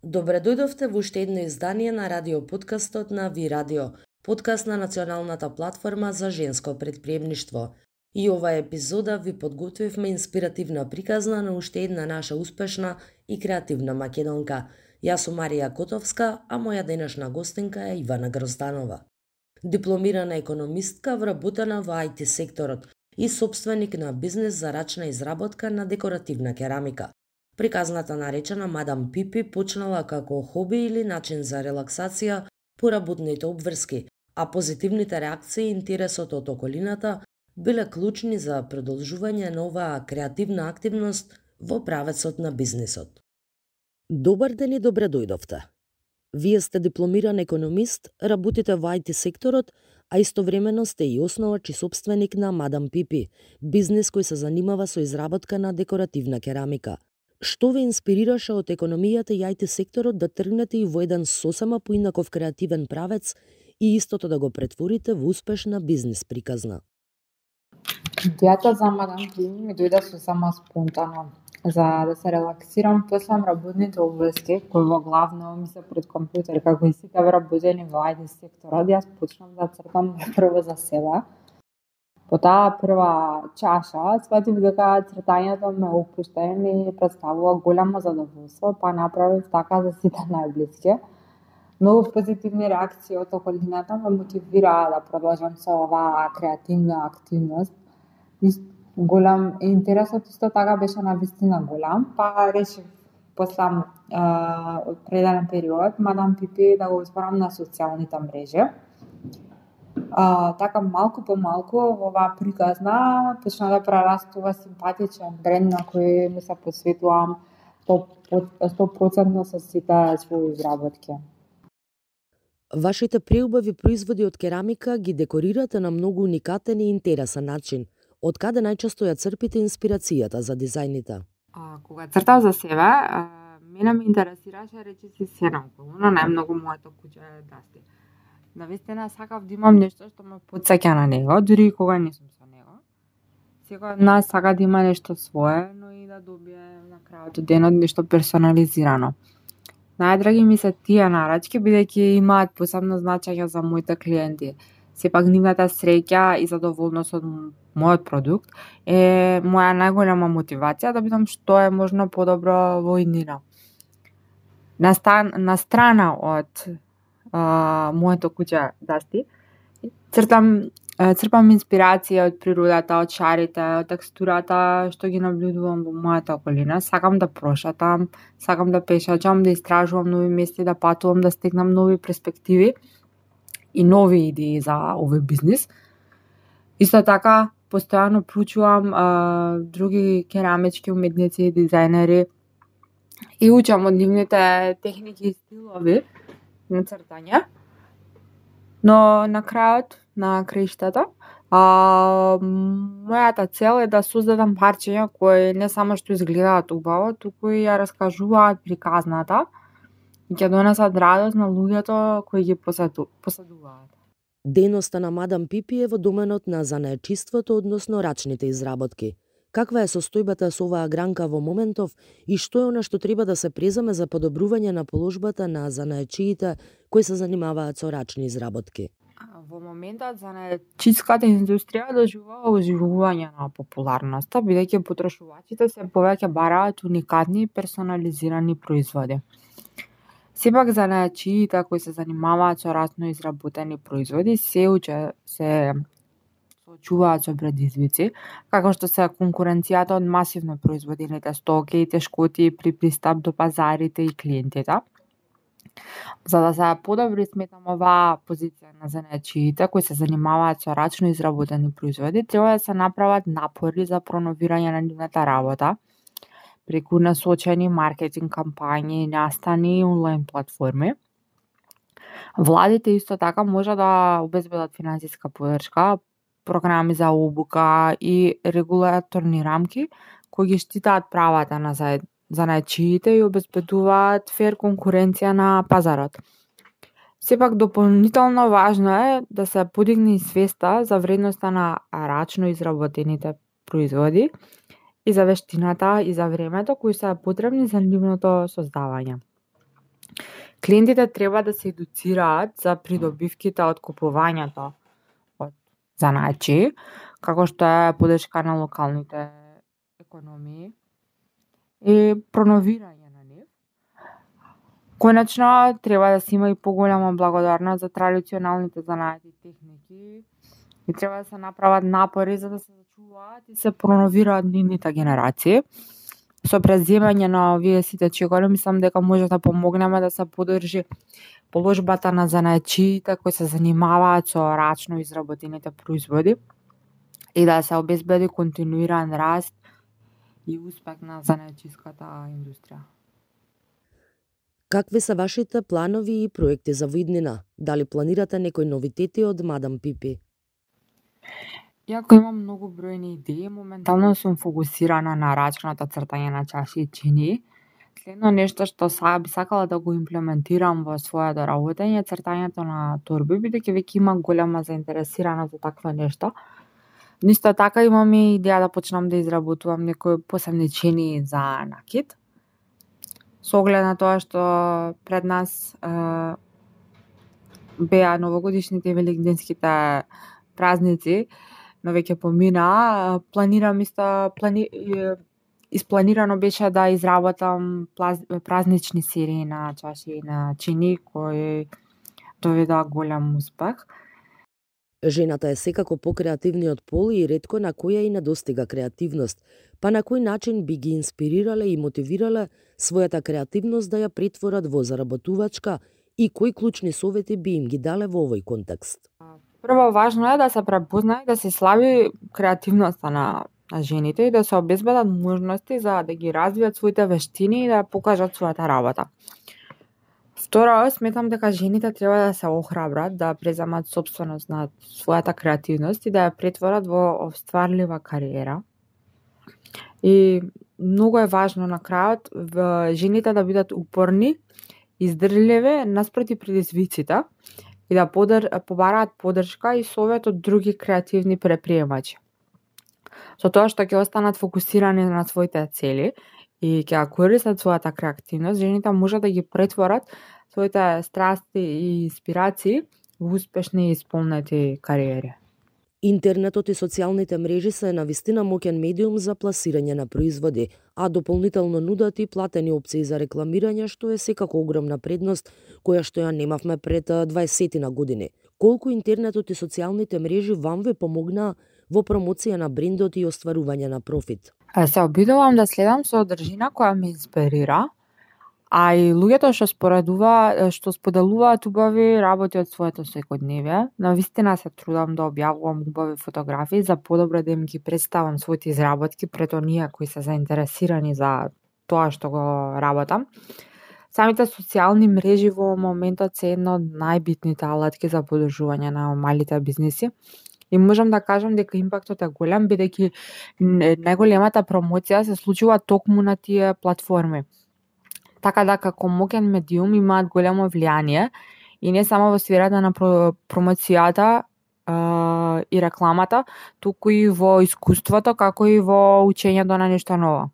Добре дојдовте во уште едно издание на радио подкастот на Ви Радио, подкаст на националната платформа за женско предприемништво. И оваа епизода ви подготвивме инспиративна приказна на уште една наша успешна и креативна македонка. Јас сум Марија Котовска, а моја денешна гостинка е Ивана Грозданова. Дипломирана економистка, вработена во IT секторот и собственик на бизнес за рачна изработка на декоративна керамика. Приказната наречена Мадам Пипи почнала како хоби или начин за релаксација по работните обврски, а позитивните реакции и интересот од околината биле клучни за продолжување на оваа креативна активност во правецот на бизнисот. Добар ден и добре дојдовте. Вие сте дипломиран економист, работите во IT секторот, а истовремено сте и основач и собственик на Мадам Пипи, бизнис кој се занимава со изработка на декоративна керамика. Што ве инспирираше од економијата и IT секторот да тргнете и во еден сосема поинаков креативен правец и истото да го претворите во успешна бизнис приказна? Идејата за Мадам Пипи ми дојде сосема спонтано. За да се релаксирам после работните обврски, кои во главно ми се пред компјутер, како и сите вработени во IT секторот, јас почнав да цртам прво за себе. По таа прва чаша, сватив дека цртањето ме опушта и ми представува голямо задоволство, па направив така за сите најблиски. Многу позитивни реакции од околината ме мотивираа да продолжам со оваа креативна активност. Голем интересот исто така беше навистина голем, па решив после определен период Мадам Пипи да го отворам на социјалните мрежи. Така малку по малку оваа приказна почна да прерастува симпатичен бренд на кој ми се посветувам 100% со сите своји изработки. Вашите преубави производи од керамика ги декорирате на многу уникатен и интересен начин. Од каде најчесто ја црпите инспирацијата за дизајните? Кога цртав за себе, мене ме интересираше речиси сена околу, но најмногу моето куќе е Дасти. Навистина сакав да имам нешто што ме потсеќа на него, дури и кога не сум со него. Секој од нас сака да има нешто свое, но и да добие на крајот од денот нешто персонализирано. Најдраги ми се тие нарачки, бидејќи имаат посебно значење за моите клиенти. Сепак нивната среќа и задоволност од мојот продукт е моја најголема мотивација да бидам што е можно подобро во иднина. На страна од моето куќе Дасти, црпам инспирација од природата, од шарите, од текстурата што ги наблюдувам во мојата околина. Сакам да прошатам, сакам да пешачам, да истражувам нови места, да патувам, да стекнам нови перспективи и нови идеи за овој бизнис. Исто така, постојано проучувам други керамички уметници и дизајнери и учам од нивните техники и стилови на цртање. Но на крајот, на краиштата, мојата цел е да создадам парчиња кои не само што изгледаат убаво, туку и ја раскажуваат приказната и ќе донесат радост на луѓето кои ги посетуваат. Дејноста на Мадам Пипи е во доменот на занаечиството, односно рачните изработки. Каква е состојбата со оваа гранка во моментов и што е она што треба да се преземе за подобрување на положбата на занаечиите кои се занимаваат со рачни изработки? Во моментот занаечиската индустрија доживува оживување на популарноста, бидејќи потрошувачите се повеќе бараат уникатни и персонализирани производи. Сепак занаечиите кои се занимаваат со рачно изработени производи се соочуваат со предизвици, како што се конкуренцијата од масивно произведените стоки и тешкоти при пристап до пазарите и клиентите. За да се подобри сметам оваа позиција на занаечиите кои се занимаваат со рачно изработени производи, треба да се направат напори за проновирање на нивната работа преку насочени маркетинг кампањи, настани и онлайн платформи. Владите исто така може да обезбедат финансиска поддршка, програми за обука и регулаторни рамки кои ги штитаат правата на занаечиите и обезбедуваат фер конкуренција на пазарот. Сепак дополнително важно е да се подигне и свеста за вредноста на рачно изработените производи и за вештината и за времето кои се потребни за нивното создавање. Клиентите треба да се едуцираат за придобивките од купувањето од занаачи, како што е подршка на локалните економии и проновирање на нив. Конечно, треба да се има и поголема благодарност за традиционалните занаати техники и треба да се направат напори за да се зачуваат и се проновираат нивните генерации. Со преземање на овие сите чекори, мислам дека може да помогнеме да се подржи положбата на занаачиите кои се занимаваат со рачно изработените производи и да се обезбеди континуиран раст и успех на занаачиската индустрија. Какви се вашите планови и проекти за виднина? Дали планирате некои новитети од Мадам Пипи? Иако имам многу бројни идеи, моментално сум фокусирана на рачното цртање на чаши и чини. Следно нешто што би сакала да го имплементирам во својата работење е цртањето на торби, бидејќи веќе има голема заинтересираност за такво нешто. Но исто така имам и идеја да почнам да изработувам некои посебни чини за накид. Со оглед на тоа што пред нас беа новогодишните и великденските празници, но веќе помина, испланирано беше да изработам празнични серии на чаши и на чини кои доведоа голем успех. Жената е секако покреативниот пол и ретко на која и недостига креативност, па на кој начин би ги инспирирале и мотивирале својата креативност да ја претворат во заработувачка и кои клучни совети би им ги дале во овој контекст? Прво, важно е да се препознае да се слави креативноста на жените и да се обезбедат можности за да ги развијат своите вештини и да покажат својата работа. Второ, сметам дека жените треба да се охрабрат да преземат сопственост над својата креативност и да ја претворат во остварлива кариера. И многу е важно на крајот жените да бидат упорни, издржливи наспроти предизвиците и да побараат подршка и совет од други креативни предприемачи. Со тоа што ќе останат фокусирани на своите цели и ќе ја користат својата креативност, жените може да ги претворат своите страсти и инспирации во успешни и исполнети кариери. Интернетот и социјалните мрежи се навистина моќен медиум за пласирање на производи, а дополнително нудат и платени опции за рекламирање, што е секако огромна предност која што ја немавме пред 20 години. Колку интернетот и социјалните мрежи вам ве помогнаа во промоција на брендот и остварување на профит? Се обидувам да следам содржина која ме инспирира, а и луѓето што споделуваат убави работи од своето секојдневие. Навистина се трудам да објавувам убави фотографии за подобро да им ги представам своите изработки пред оние кои се заинтересирани за тоа што го работам. Самите социјални мрежи во моментот се една од најбитните алатки за подржување на малите бизниси. И можам да кажам дека импактот е голем, бидејќи најголемата промоција се случува токму на тие платформи. Така да како моќен медиум имаат големо влијание и не само во сферата на промоцијата и рекламата, туку и во искуството, како и во учењето на нешто ново.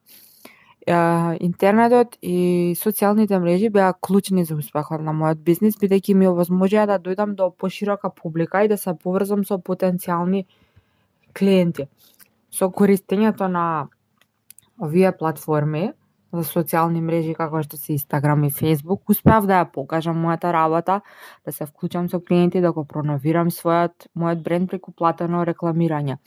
Интернетот и социјалните мрежи беа клучни за успехот на мојот бизнис, бидејќи ми овозможија да дојдам до поширока публика и да се поврзам со потенцијални клиенти. Со користењето на овие платформи за социјални мрежи како што се Instagram и Facebook, успеав да ја покажам мојата работа, да се вклучам со клиенти, да го проновирам мојот бренд преку платено рекламирање.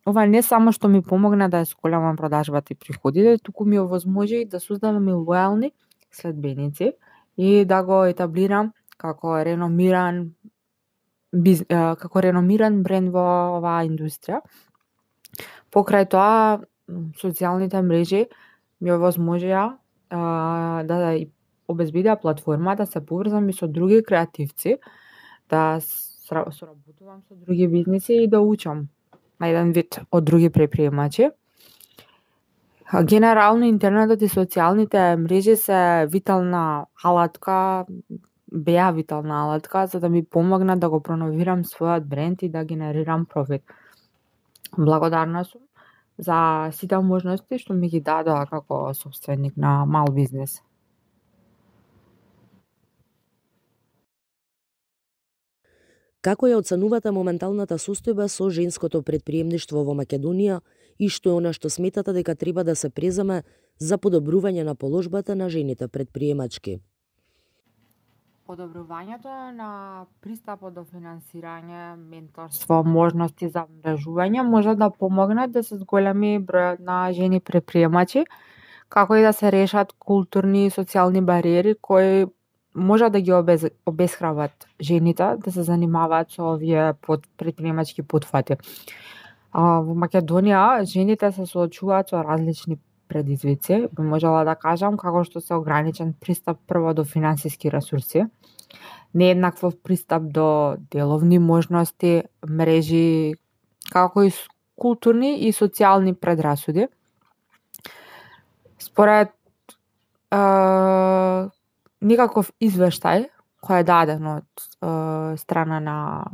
Ова не само што ми помогна да ја сколемам продажбата и приходите, туку ми овозможи да создадам и лојални следбеници и да го етаблирам како реномиран бренд во оваа индустрија. Покрај тоа, социјалните мрежи ми овозможија да обезбедија платформа да се поврзам и со други креативци, да соработувам со други бизниси и да учам на еден вид од други предприемачи. Генерално интернетот и социјалните мрежи се беа витална алатка за да ми помогнат да го проновирам својот бренд и да генерирам профит. Благодарна сум за сите можности што ми ги дадоа како собственик на мал бизнес. Како ја оценувате моменталната состојба со женското претприемништво во Македонија и што е она што сметате дека треба да се преземе за подобрување на положбата на жените претприемачки? Подобрувањето на пристапот до финансирање, менторство, можности за мрежување може да помогнат да се зголеми бројот на жени претприемачи, како и да се решат културни и социјални бариери кои може да ги обесхрабат жените да се занимаваат со овие претприемачки потфати. Во Македонија жените се соочуваат со различни предизвици, би можела да кажам, како што се ограничен пристап прво до финансиски ресурси, нееднаквов пристап до деловни можности, мрежи, како и културни и социјални предрасуди. Според никаков извештај кој е даден од страна на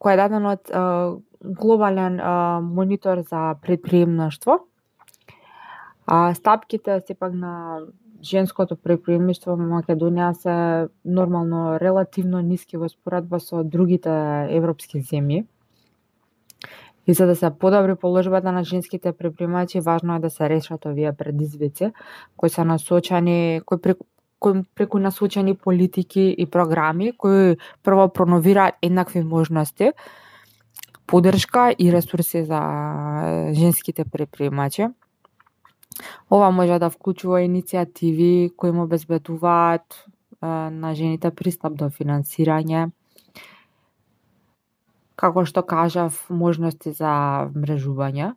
кој е даден од глобален монитор за претприемништво. Стапките сепак на женското претприемништво во Македонија се нормално релативно ниски во споредба со другите европски земји. И за да се подобри положбата на женските претприемачи, важно е да се решат овие предизвици кои се насочени, кои преку насочени политики и програми кои прво проновираат еднакви можности, поддршка и ресурси за женските претприемачи. Ова може да вклучува иницијативи кои му обезбедуваат на жените пристап до финансирање, како што кажав, можности за мрежување.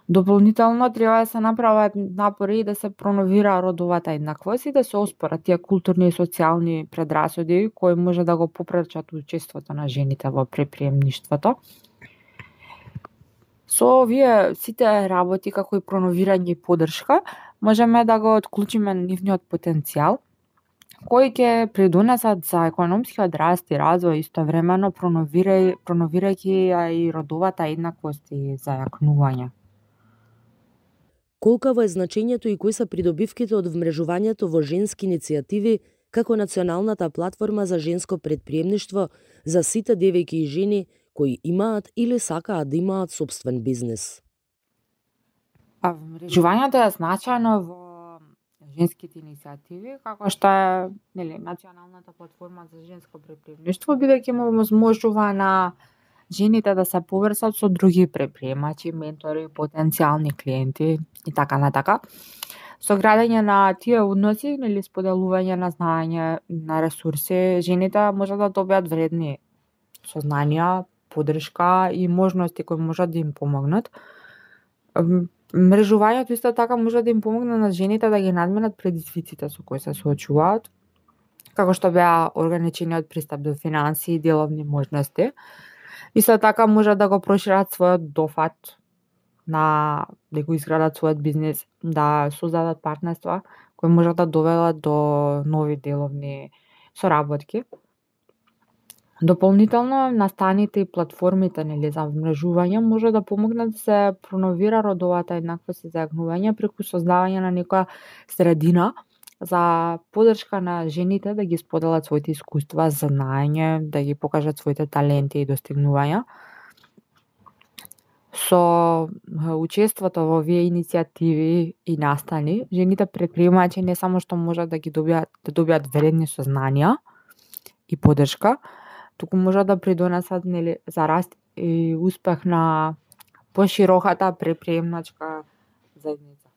Дополнително треба да се направат напори да се проновира родовата еднаквост и да се оспорат тие културни и социјални предрасуди кои може да го попречат учеството на жените во претприемништвото. Со овие сите работи, како и проновирање и поддршка, можеме да го отклучиме нивниот потенцијал, кои ќе придонесат за економскиот раст и развој, истовремено проновирајќи и родовата еднаквост и зајакнување. Колкаво е значењето и кои се придобивките од вмрежувањето во женски иницијативи како националната платформа за женско претприемништво за сите девојки и жени кои имаат или сакаат да имаат сопствен бизнис? Вмрежувањето е значајно во женските иницијативи, како што е националната платформа за женско претприемништво, бидејќи му возможува на жените да се поврзат со други претприемачи, ментори, потенцијални клиенти и така натака. Со градење на тие односи или споделување на знаење, на ресурси, жените може да добијат вредни сознанија, поддршка и можности кои можат да им помогнат. Мрежувањето исто така може да им помогне на жените да ги надминат предизвиците со кои се соочуваат, како што беа ограничениот пристап до финанси и деловни можности. Исто така може да го прошират својот дофат на да го изградат својот бизнис, да создадат партнерства кои можат да доведат до нови деловни соработки. Дополнително, настаните и платформите за вмрежување може да помогнат да се проновира родовата еднаквост и зајакнување преку создавање на некоја средина за поддршка на жените да ги споделат своите искуства, знаење, да ги покажат своите таленти и достигнувања. Со учеството во овие иницијативи и настани, жените претприемачи не само што можат да ги добијат вредни сознанија и поддршка, туку може да придонесат за раст и успех на пошироката претприемачка заедница.